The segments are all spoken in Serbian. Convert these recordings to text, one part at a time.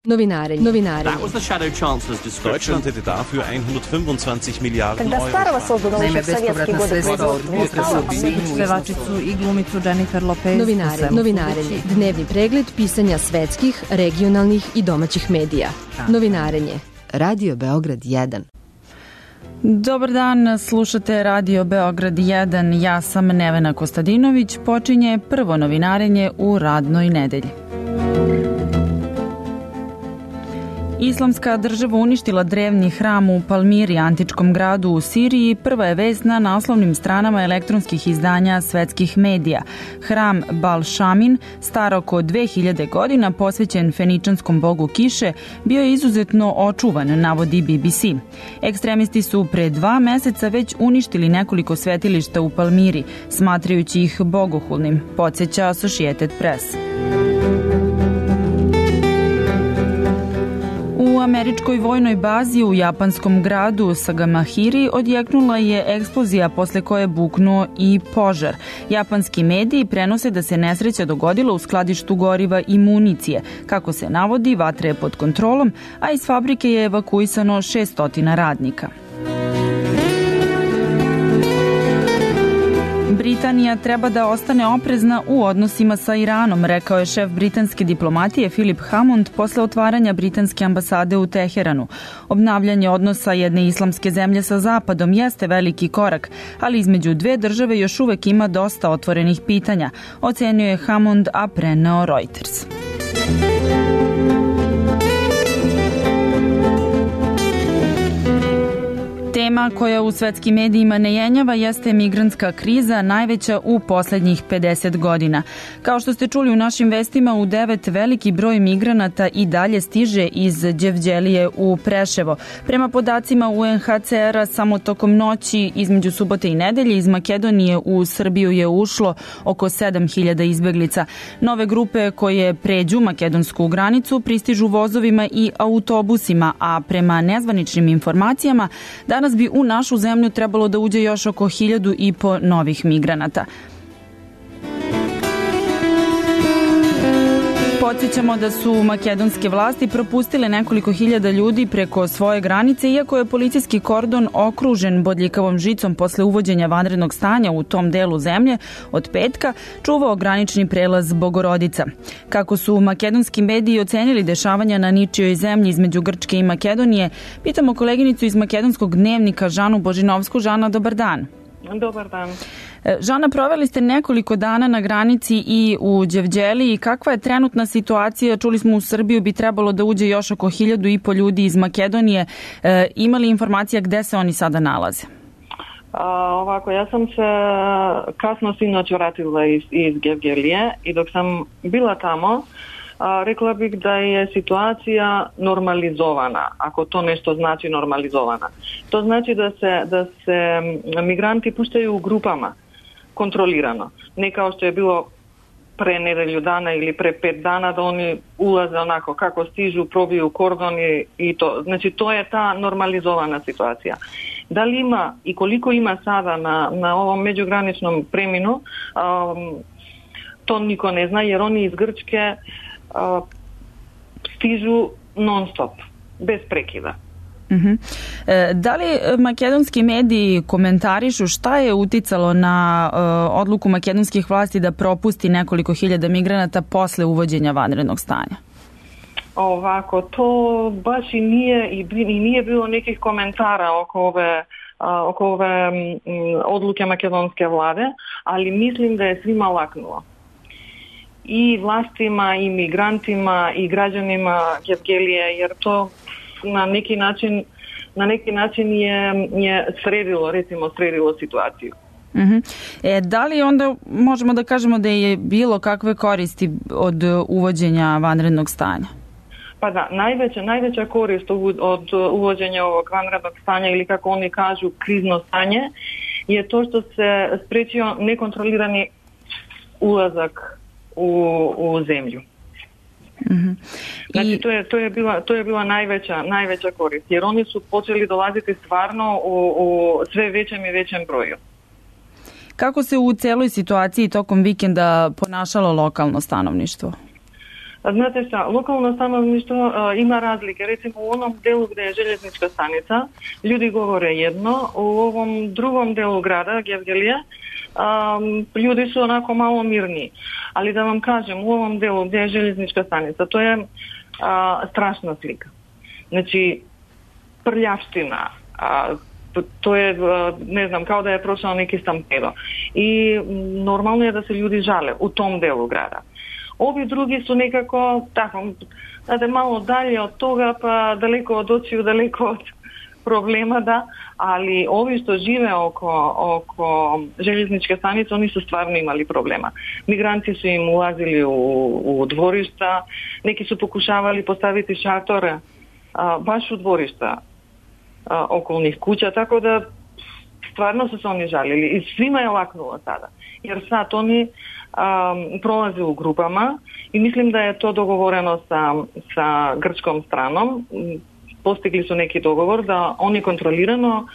Novinarenje. Deutschland hätte dafür 125 Milijarden Kada starova sozdu Naime, bespovratna sredstva od pevačicu i glumicu Jennifer Lopez. Novinarenje. Dnevni pregled pisanja svetskih, regionalnih i domaćih medija. Novinarenje. Radio Beograd 1. Dobar dan, slušate Radio Beograd 1. Ja sam Nevena Kostadinović. Počinje prvo novinarenje u radnoj nedelji. Islamska država uništila drevni hram u Palmiri, antičkom gradu u Siriji. Prva je vest na naslovnim stranama elektronskih izdanja svetskih medija. Hram Bal Šamin, star oko 2000 godina, posvećen feničanskom bogu kiše, bio je izuzetno očuvan, navodi BBC. Ekstremisti su pre 2 meseca već uništili nekoliko svetilišta u Palmiri, smatrajući ih bogohulnim, podsjeća Associated Press. U američkoj vojnoj bazi u japanskom gradu Sagamihara odjeknula je eksplozija posle koje je buknuo i požar. Japanski mediji prenose da se nesreća dogodila u skladištu goriva i municije. Kako se navodi, vatra je pod kontrolom, a iz fabrike je evakuisano 600 radnika. Britanija treba da ostane oprezna u odnosima sa Iranom, rekao je šef britanske diplomatije Philip Hammond posle otvaranja britanske ambasade u Teheranu. Obnavljanje odnosa jedne islamske zemlje sa Zapadom jeste veliki korak, ali između dve države još uvek ima dosta otvorenih pitanja, ocenio je Hammond, a preneo Reuters. Tema koja u svetskim medijima ne jenjava jeste migrantska kriza, najveća u poslednjih 50 godina. Kao što ste čuli u našim vestima, u 9 veliki broj migranata i dalje stiže iz Đevđelije u Preševo. Prema podacima UNHCR-a, samo tokom noći između subote i nedelje iz Makedonije u Srbiju je ušlo oko 7000 izbeglica. Nove grupe koje pređu makedonsku granicu pristižu vozovima i autobusima, a prema nezvaničnim informacijama danas bi u našu zemlju trebalo da uđe još oko 1500 novih migranata. Podsjećamo da su makedonske vlasti propustile nekoliko hiljada ljudi preko svoje granice, iako je policijski kordon okružen bodljikavom žicom posle uvođenja vanrednog stanja u tom delu zemlje od petka, čuvao granični prelaz Bogorodica. Kako su makedonski mediji ocenili dešavanja na ničijoj zemlji između Grčke i Makedonije, pitamo koleginicu iz makedonskog dnevnika Žanu Božinovsku. Žana, dobar dan. Dobar dan. Žana, proveli ste nekoliko dana na granici i u Đevđeliji. Kakva je trenutna situacija? Čuli smo u Srbiju bi trebalo da uđe još oko 1500 ljudi iz Makedonije. Ima li informacija gde se oni sada nalaze? Ovako, ja sam se kasno sinoć vratila iz Đevđelije i dok sam bila tamo, rekla bih da je situacija normalizovana, ako to nešto znači normalizovana. To znači da se migranti puštaju u grupama, kontrolirano. Ne kao što je bilo pre nedelju dana ili pre 5 dana da oni ulaze onako kako stižu, probiju kordon i to. Znači to je ta normalizovana situacija. Da li ima i koliko ima sada na ovom međugraničnom preminu, to niko ne zna jer oni iz Grčke stižu non stop, bez prekida. Da li makedonski mediji komentarišu šta je uticalo na odluku makedonskih vlasti da propusti nekoliko hiljada migranata posle uvođenja vanrednog stanja? Ovako, to baš i nije bilo nekih komentara oko ove odluke makedonske vlade, ali mislim da je svima laknulo. I vlastima, i migrantima, i građanima Đevđelije, jer to na neki način je sredilo situaciju. Da li onda možemo da kažemo da je bilo kakve koristi od uvođenja vanrednog stanja? Pa da, najveća korist od uvođenja ovog vanrednog stanja ili kako oni kažu krizno stanje je to što se sprečio nekontrolirani ulazak u zemlju. Znači to je bila najveća korist, jer oni su počeli dolaziti stvarno u sve većem i većem broju. Kako se u celoj situaciji tokom vikenda ponašalo lokalno stanovništvo? Znate šta, lokalno stanovništvo ima razlike. Recimo u onom delu gde je željeznička stanica, ljudi govore jedno, u ovom drugom delu grada, Gevgelije, ljudi su onako malo mirniji. Ali da vam kažem, u ovom delu gde je željeznička stanica, to je strašna slika. Znači, prljavština, to je, ne znam, kao da je prošao neki stampedo. I normalno je da se ljudi žale u tom delu grada. Ovi drugi su nekako, tako, znate, malo dalje od toga, pa daleko od očiju, daleko od problema, da, ali ovi što žive oko željezničke stanice, oni su stvarno imali problema. Migranti su im ulazili u dvorišta, neki su pokušavali postaviti šatore baš u dvorišta okolnih kuća, tako da stvarno su se oni žalili i svima je laknulo sada. Jer sad oni prolaze u grupama i mislim da je to dogovoreno sa grčkom stranom. Postigli su neki dogovor da oni kontrolirano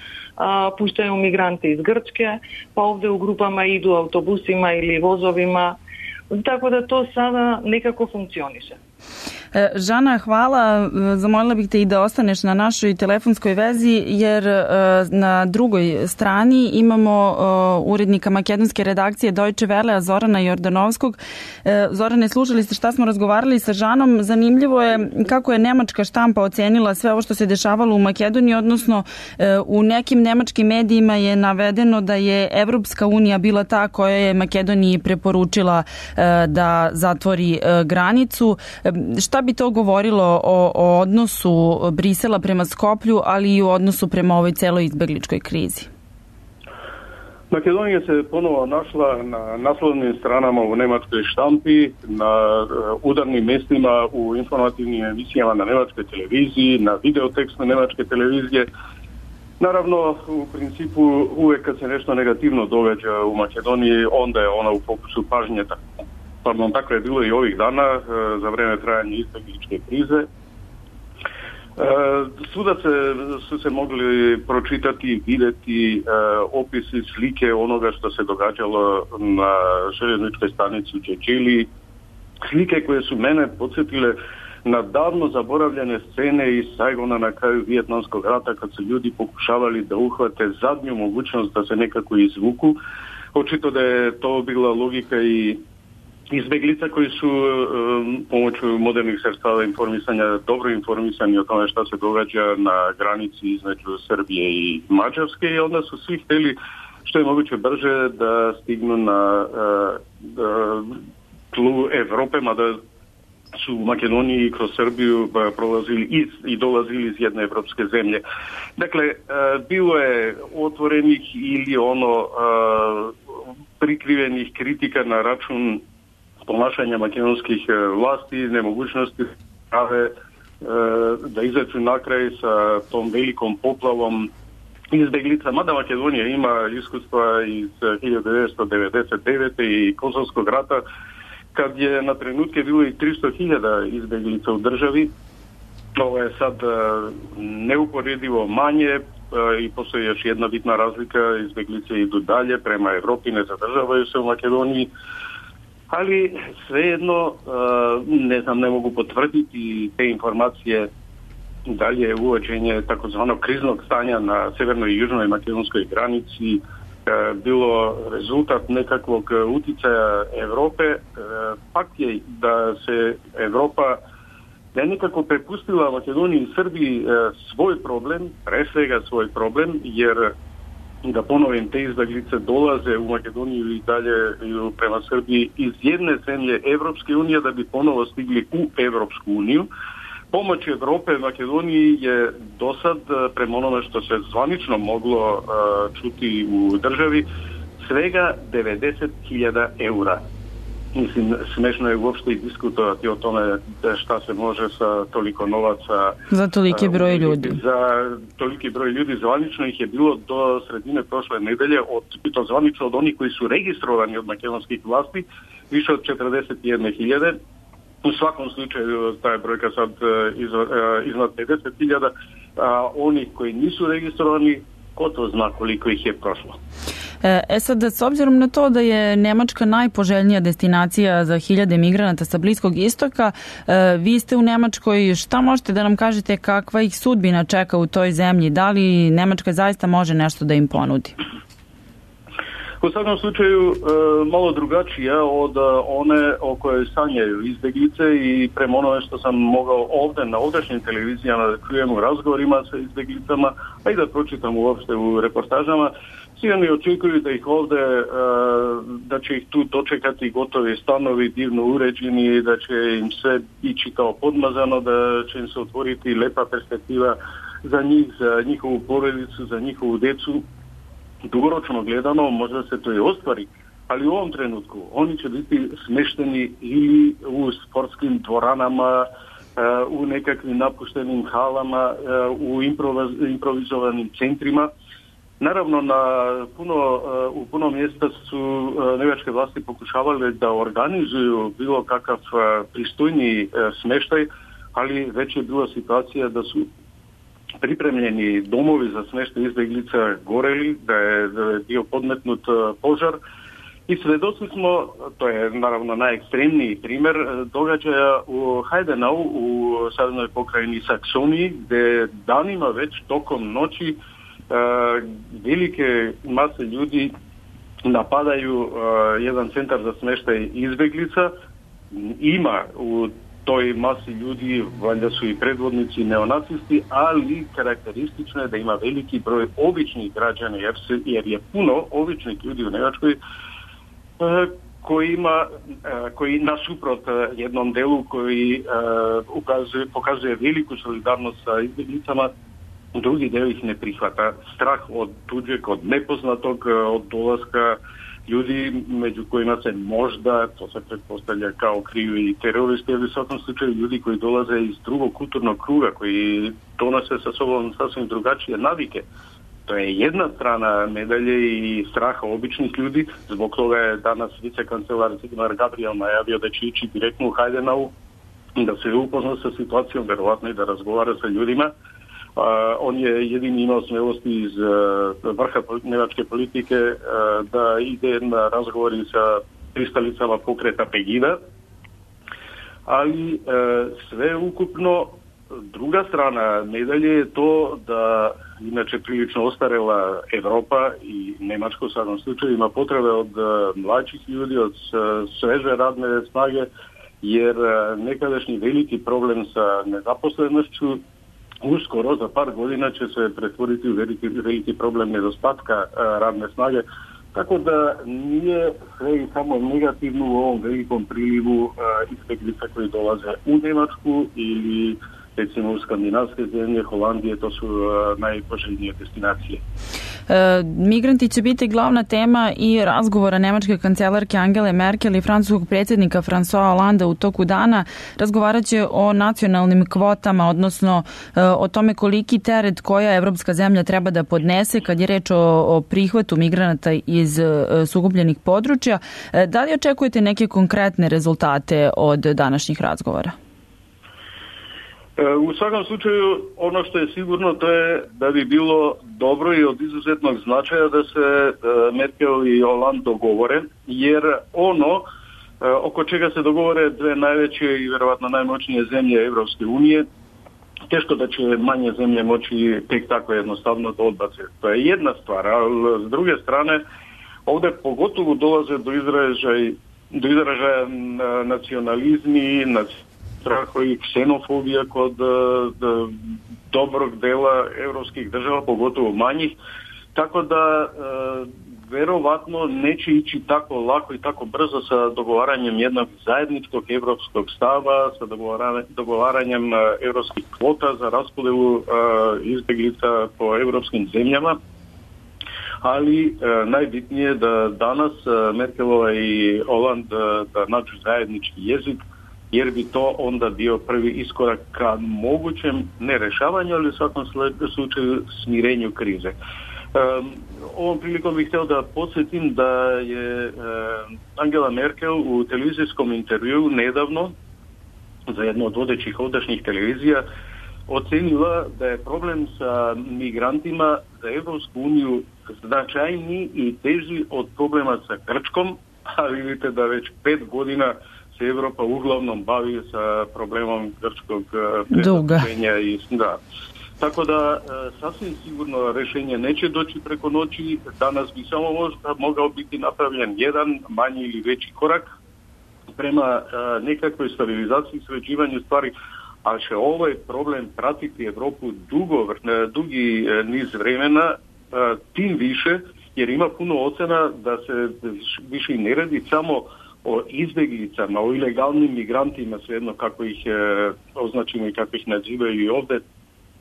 puštaju migrante iz Grčke, pa ovde u grupama idu autobusima ili vozovima, tako da to sada nekako funkcioniše. Žana, hvala. Zamolila bih te i da ostaneš na našoj telefonskoj vezi, jer na drugoj strani imamo urednika makedonske redakcije Deutsche Welle, Zorana Jordanovskog. Zorane, slušali ste šta smo razgovarali sa Žanom. Zanimljivo je kako je nemačka štampa ocenila sve ovo što se dešavalo u Makedoniji, odnosno u nekim nemačkim medijima je navedeno da je Evropska unija bila ta koja je Makedoniji preporučila da zatvori granicu. Šta bi to govorilo o odnosu Brisela prema Skoplju, ali i u odnosu prema ovoj celoj izbegličkoj krizi? Makedonija se ponovo našla na naslovnim stranama u nemačkoj štampi, na udarnim mjestima u informativnim emisijama na nemačkoj televiziji, na videotekstu nemačke televizije. Naravno, u principu uvijek kad se nešto negativno događa u Makedoniji, onda je ona u fokusu pažnje. Tako je bilo i ovih dana za vrijeme trajanja izbegličke krize. Svuda su se mogli pročitati, vidjeti opisi, slike onoga što se događalo na željezničkoj stanici u Čečili. Slike koje su mene podsjetile na davno zaboravljene scene iz Saigona na kraju Vijetnamskog rata, kad su ljudi pokušavali da uhvate zadnju mogućnost da se nekako izvuku. Očito da je to bila logika i izbeglica koji su pomoću modernih sredstava informisanja dobro informisani o tome šta se događa na granici između Srbije i Mađarske, i onda su svi htjeli što je moguće brže da stignu na tlu Evrope, mada su u Makedoniji kroz Srbiju prolazili i dolazili iz jedne evropske zemlje. Dakle, bilo je otvorenih ili prikrivenih kritika na račun ponašanja makedonskih vlasti, nemogućnosti da izađu na kraj sa tom velikom poplavom izbeglica. Mada Makedonija ima iskustva iz 1999. i Kosovskog rata, kad je na trenutke bilo i 300.000 izbeglica u državi. Ovo je sad neuporedivo manje i postoji još jedna bitna razlika, izbeglice idu dalje prema Evropi, ne zadržavaju se u Makedoniji. Ali svejedno, ne mogu potvrditi te informacije da li je uvođenje takozvanog kriznog stanja na severnoj i južnoj makedonskoj granici bilo rezultat nekakvog uticaja Europe. Fakt je da se Europa da je nekako prepustila Makedoniji i Srbiji svoj problem, pre svega svoj problem, jer da ponovim, te izbeglice dolaze u Makedoniju i dalje prema Srbiji iz jedne zemlje Evropske unije da bi ponovo stigli u Evropsku uniju. Pomoć Evrope Makedoniji je dosad, prema onome što se zvanično moglo čuti u državi, svega 90.000 eura. Mislim, smešno je uopšte i diskutovati o tome šta se može sa toliko novaca za toliki broj ljudi. Za toliki broj ljudi. Zvanično ih je bilo do sredine prošle nedelje, to zvanično od onih koji su registrovani od makedonskih vlasti, više od 41.000. U svakom slučaju ta je brojka sad iznad 50.000, a onih koji nisu registrovani, ko to zna koliko ih je prošlo. Sad, s obzirom na to da je Nemačka najpoželjnija destinacija za hiljade migranata sa Bliskog istoka, vi ste u Nemačkoj, šta možete da nam kažete kakva ih sudbina čeka u toj zemlji? Da li Nemačka zaista može nešto da im ponudi? U svakom slučaju malo drugačija od one o kojoj sanjaju izbjeglice i prema onome što sam mogao ovdje na ovdašnjim televizijama da čujem u razgovorima sa izbjeglicama, a i da pročitam uopšte u reportažama, svi oni očekuju da ih ovdje, da će ih tu dočekati gotovi stanovi divno uređeni, da će im sve ići kao podmazano, da će im se otvoriti lepa perspektiva za njih, za njihovu porodicu, za njihovu djecu. Dugoročno gledano možda se to i ostvari, ali u ovom trenutku oni će biti smešteni ili u sportskim dvoranama, u nekakvim napuštenim halama, u improvizovanim centrima. Naravno, u puno mjesta su njemačke vlasti pokušavale da organizuju bilo kakav pristojniji smještaj, ali već je bila situacija da su pripremljeni domovi za smještaj izbjeglica goreli, da je bio podmetnut požar i svedoci smo, to je naravno najekstremniji primjer događaja u Heidenau u saveznoj pokrajini Saksoniji, gdje danima već tokom noći velike mase ljudi napadaju jedan centar za smještaj izbjeglica. Ima u toj masi ljudi, valjda su i predvodnici neonacisti, ali karakteristično je da ima veliki broj običnih građana, jer je puno običnih ljudi u Njemačkoj koji nasuprot jednom delu koji pokazuje veliku solidarnost sa izbjeglicama, drugi del ih ne prihvata. Strah od tuđeg, od nepoznatog, od dolaska ljudi među kojima se možda, to se pretpostavlja kao kriju i teroristi, ali u svakom slučaju ljudi koji dolaze iz drugog kulturnog kruga, koji donose sa sobom sasvim drugačije navike. To je jedna strana medalje i straha običnih ljudi. Zbog toga je danas vicekancelar Sigmar Gabriel najavio da će ići direktno u Heidenau, da se upozna sa situacijom, verovatno i da razgovara sa ljudima. On je jedini imao smjelosti iz vrha njemačke politike da ide na razgovori sa pristalicama pokreta Pegida, ali sve ukupno druga strana medalje je to da inače prilično ostarela Evropa i Njemačka u svakom slučaju ima potrebe od mlađih ljudi, od sveže radne snage, jer nekadašnji veliki problem sa nezaposlenošću uskoro za par godina će se pretvoriti u veliki problem nedostatka radne snage, tako da nije sve i samo negativno u ovom velikom prilivu izbjeglica koji dolaze u Njemačku ili recimo u skandinavske zemlje, Holandije, to su najpoželjnije destinacije. Migranti će biti glavna tema i razgovora nemačke kancelarke Angele Merkel i francuskog predsjednika François Hollande u toku dana. Razgovarat će o nacionalnim kvotama, odnosno o tome koliki teret koja evropska zemlja treba da podnese kad je reč o prihvatu migranata iz sukobljenih područja. Da li očekujete neke konkretne rezultate od današnjih razgovora? U svakom slučaju, ono što je sigurno to je da bi bilo dobro i od izuzetnog značaja da se Merkel i Hollande dogovore, jer ono oko čega se dogovore dve najveće i vjerovatno najmoćnije zemlje Evropske unije, teško da će manje zemlje moći tek tako jednostavno da odbace. To je jedna stvar, ali s druge strane ovdje pogotovo dolaze do izražaja nacionalizmi, strahovi i ksenofobija kod dobrog dela evropskih država, pogotovo manjih, tako da verovatno neće ići tako lako i tako brzo sa dogovaranjem jednog zajedničkog evropskog stava, sa dogovaranjem evropskih kvota za raspodelu izbjeglica po evropskim zemljama. Ali najbitnije je da danas Merkelova i Hollande da nađu zajednički jezik, jer bi to onda bio prvi iskorak ka mogućem ne rešavanju, ali u svakom slučaju smirenju krize. Ovom prilikom bih htio da podsjetim da je Angela Merkel u televizijskom intervjuu nedavno za jednu od vodećih ovdašnjih televizija ocenila da je problem sa migrantima za Evropsku uniju značajniji i teži od problema sa Grčkom, a vidite da već 5 godina se Evropa uglavnom bavi sa problemom grčkog prezaduženja. Tako da sasvim sigurno rešenje neće doći preko noći. Danas bi samo možda mogao biti napravljen jedan manji ili veći korak prema nekakvoj stabilizaciji i sređivanju stvari, ali će ovaj problem pratiti Evropu dugi niz vremena, tim više jer ima puno ocena da se više ne radi samo o izbjeglicama, o ilegalnim migrantima, svejedno kako ih označimo i kako ih nazivaju i ovdje,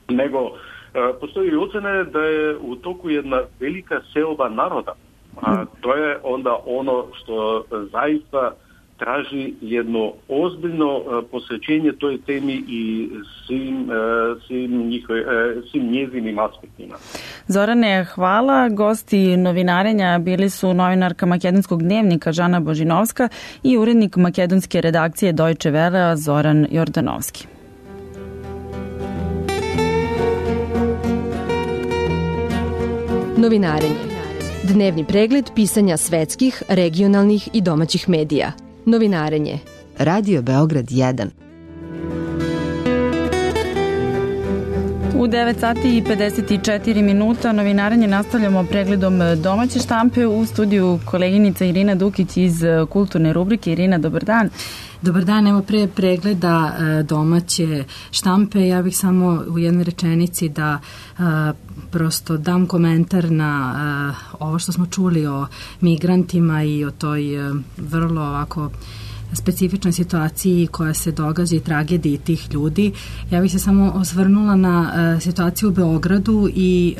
nego postoji ocena da je u toku jedna velika seoba naroda. A to je onda ono što zaista traži jedno ozbiljno posvećenje toj temi i svim njezinim aspektima. Zorane, hvala. Gosti novinarenja bili su novinarka Makedonskog dnevnika Žana Božinovska i urednik makedonske redakcije Deutsche Welle Zoran Jordanovski. Novinarenje. Dnevni pregled pisanja svetskih, regionalnih i domaćih medija. Novinarenje. Radio Beograd 1. U 9 sati i 54 minuta novinarenje nastavljamo pregledom domaće štampe. U studiju koleginica Irina Dukić iz kulturne rubrike. Irina, dobar dan. Dobar dan, evo pre pregleda domaće štampe, ja bih samo u jednoj rečenici da prosto dam komentar na ovo što smo čuli o migrantima i o toj vrlo ovako specifičnoj situaciji koja se događa i tragediji tih ljudi. Ja bih se samo osvrnula na situaciju u Beogradu i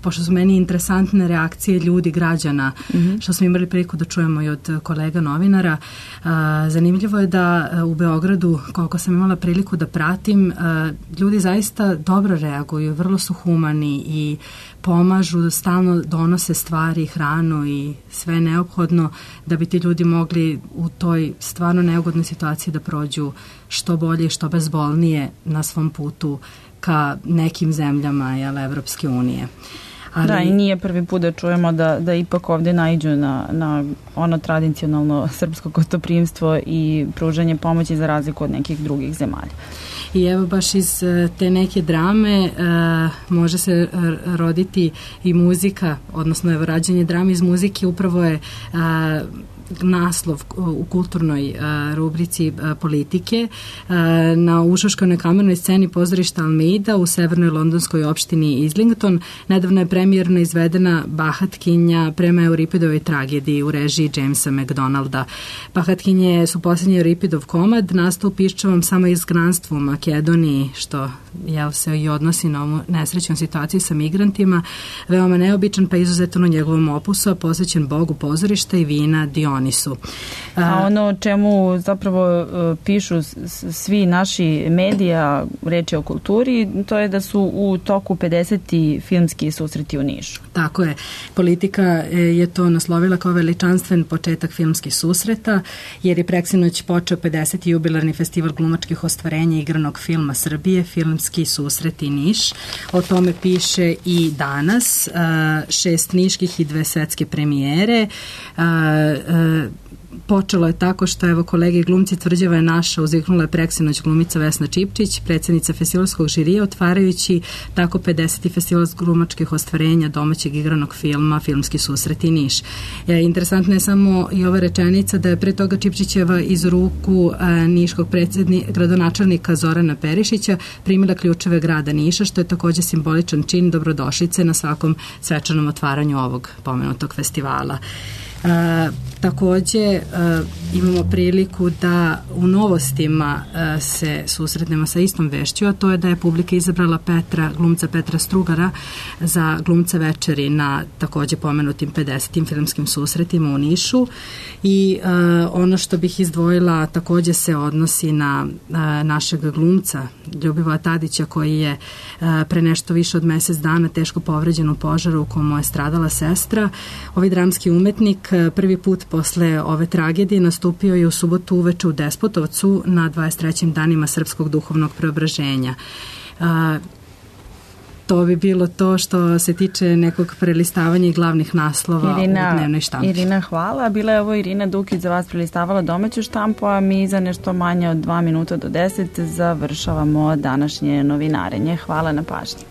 pošto su meni interesantne reakcije ljudi, građana, što smo imali priliku da čujemo i od kolega novinara. Zanimljivo je da u Beogradu, koliko sam imala priliku da pratim, ljudi zaista dobro reaguju, vrlo su humani i pomažu, stalno donose stvari, hranu i sve neophodno da bi ti ljudi mogli u toj stvarno neugodnoj situaciji da prođu što bolje i što bezbolnije na svom putu ka nekim zemljama Evropske unije. Da, i nije prvi put da čujemo da ipak ovdje naiđu na ono tradicionalno srpsko gostoprimstvo i pružanje pomoći za razliku od nekih drugih zemalja. I evo baš iz te neke drame može se roditi i muzika, odnosno evo rađenje drame iz muzike upravo je naslov u kulturnoj rubrici politike na Ušoškanoj kamernoj sceni pozorišta Almeida u severnoj londonskoj opštini Islington. Nedavno je premijerno izvedena Bahatkinja prema Euripidovoj tragediji u režiji Jamesa McDonalda. Bahatkinje su posljednji Euripidov komad, nastao u piščavom samoizgnanstvu u Makedoniji, što se i odnosi na ovu nesrećnu situaciju sa migrantima. Veoma neobičan pa izuzetan u njegovom opusu, a posvećen Bogu pozorišta i vina Dionisu. A ono o čemu zapravo pišu svi naši medija, reči o kulturi, to je da su u toku 50. filmski susreti u Nišu. Tako je. Politika je to naslovila kao veličanstven početak filmskih susreta, jer je preksinoć počeo 50. jubilarni festival glumačkih ostvarenja igranog filma Srbije, Filmski susreti Niš. O tome piše i danas 6 niških i 2 svetske premijere. Počelo je tako što evo kolege glumci Tvrđava je naša, uzviknula je preksinoć glumica Vesna Čipčić, predsjednica festivalskog žirija, otvarajući tako 50. festival glumačkih ostvarenja domaćeg igranog filma Filmski susreti Niš. Interesantna je samo i ova rečenica da je pre toga Čipčićeva iz ruku niškog gradonačelnika Zorana Perišića primila ključeve grada Niša, što je također simboličan čin dobrodošlice na svakom svečanom otvaranju ovog pomenutog festivala. Također imamo priliku da u novostima se susretnemo sa istom vešću, a to je da je publika izabrala glumca Petra Strugara za glumca večeri na također pomenutim 50. filmskim susretima u Nišu. I ono što bih izdvojila također se odnosi na našeg glumca Ljubivoja Tadića, koji je pre nešto više od mjesec dana teško povređen u požaru u komu je stradala sestra. Ovaj dramski umetnik prvi put posle ove tragedije nastupio je u subotu uveče u Despotovcu na 23. danima Srpskog duhovnog preobraženja. to bi bilo to što se tiče nekog prelistavanja i glavnih naslova u dnevnoj štampi. Irina, hvala. Bila je ovo Irina Dukić za vas prelistavala domaću štampu, a mi za nešto manje od 2 minuta do 10 završavamo današnje novinarenje. Hvala na pažnji.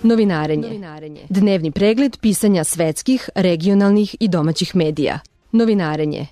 Novinarenje. Dnevni pregled pisanja svetskih, regionalnih i domaćih medija. Novinarenje.